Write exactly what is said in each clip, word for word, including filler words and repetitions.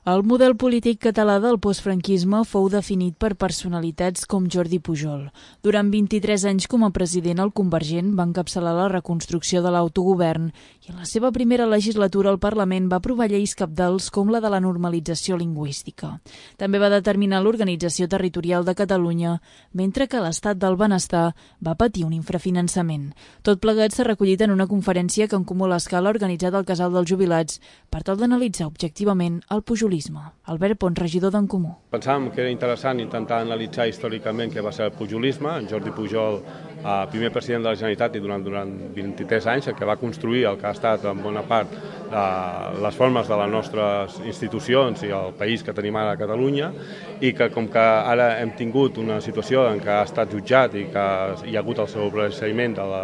El model polític català del postfranquisme fou definit per personalitats com Jordi Pujol. Durant vint-i-tres anys com a president, el Convergent va encapçalar la reconstrucció de l'autogovern i en la seva primera legislatura al Parlament va aprovar lleis cabdals com la de la normalització lingüística. També va determinar l'organització territorial de Catalunya, mentre que l'estat del benestar va patir un infrafinançament. Tot plegat s'ha recollit en una conferència que en Comú a l'Escala ha organitzat el Casal dels Jubilats per tal d'analitzar objectivament el pujolisme. Albert Pons, regidor d'en Comú. Pensàvem que era interessant intentar analitzar històricament què va ser el pujolisme. En Jordi Pujol, eh, primer president de la Generalitat i durant, durant vint-i-tres anys, el que va construir el que ha estat en bona part eh, les formes de les nostres institucions i el país que tenim ara a Catalunya, i que com que ara hem tingut una situació en què ha estat jutjat i que hi ha hagut el sobreseïment de la,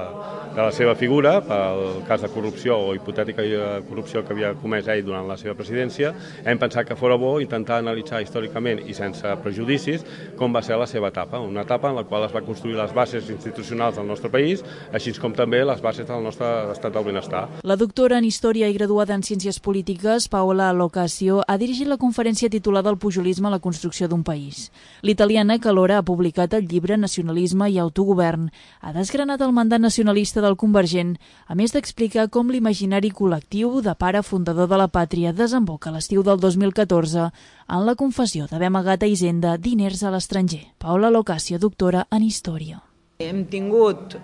de la seva figura pel cas de corrupció o hipotètica corrupció que havia comès ell durant la seva presidència, hem pensat que fora bo intentar analitzar històricament i sense prejudicis com va ser la seva etapa, una etapa en la qual es va construir les bases institucionals del nostre país, així com també les bases del nostre estat del benestar. La doctora en Història i graduada en Ciències Polítiques, Paola Locasio, ha dirigit la conferència titulada El pujolisme a la construcció d'un país. L'italiana, que alhora ha publicat el llibre Nacionalisme i autogovern, ha desgranat el mandat nacionalista del Convergent, a més d'explicar com l'imaginari col·lectiu de pare fundador de la pàtria desemboca a l'estiu del dos mil catorze en la confessió d'haver amagat a Hisenda diners a l'estranger. Paola Locasio, doctora en Història. Hem tingut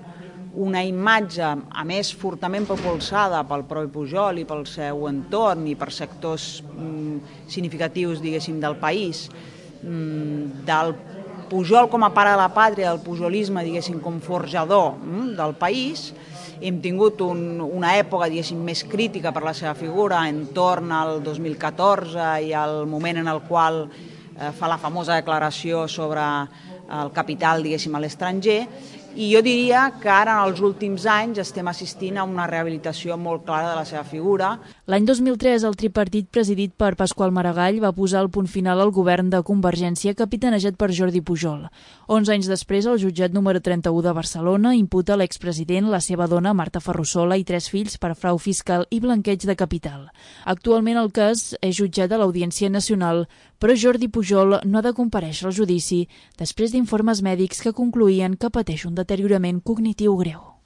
una imatge, a més, fortament propulsada pel propi Pujol i pel seu entorn i per sectors mm, significatius, diguéssim, del país, mm, del Pujol com a pare de la pàtria, del pujolisme, diguéssim, com forjador mm, del país. Hem tingut un, una època, diguéssim, més crítica per la seva figura entorn al dos mil catorze i al moment en el qual eh, fa la famosa declaració sobre el capital, diguéssim, a l'estranger. I jo diria que ara, en els últims anys, estem assistint a una rehabilitació molt clara de la seva figura. L'any dos mil tres, el tripartit presidit per Pasqual Maragall va posar el punt final al govern de Convergència capitanejat per Jordi Pujol. Onze anys després, el jutjat número trenta-u de Barcelona imputa a l'expresident, la seva dona, Marta Ferrusola, i tres fills per frau fiscal i blanqueig de capital. Actualment el cas és jutjat a l'Audiència Nacional, però Jordi Pujol no ha de comparèixer al judici després d'informes mèdics que concloïen que pateix un deteriorament cognitiu greu.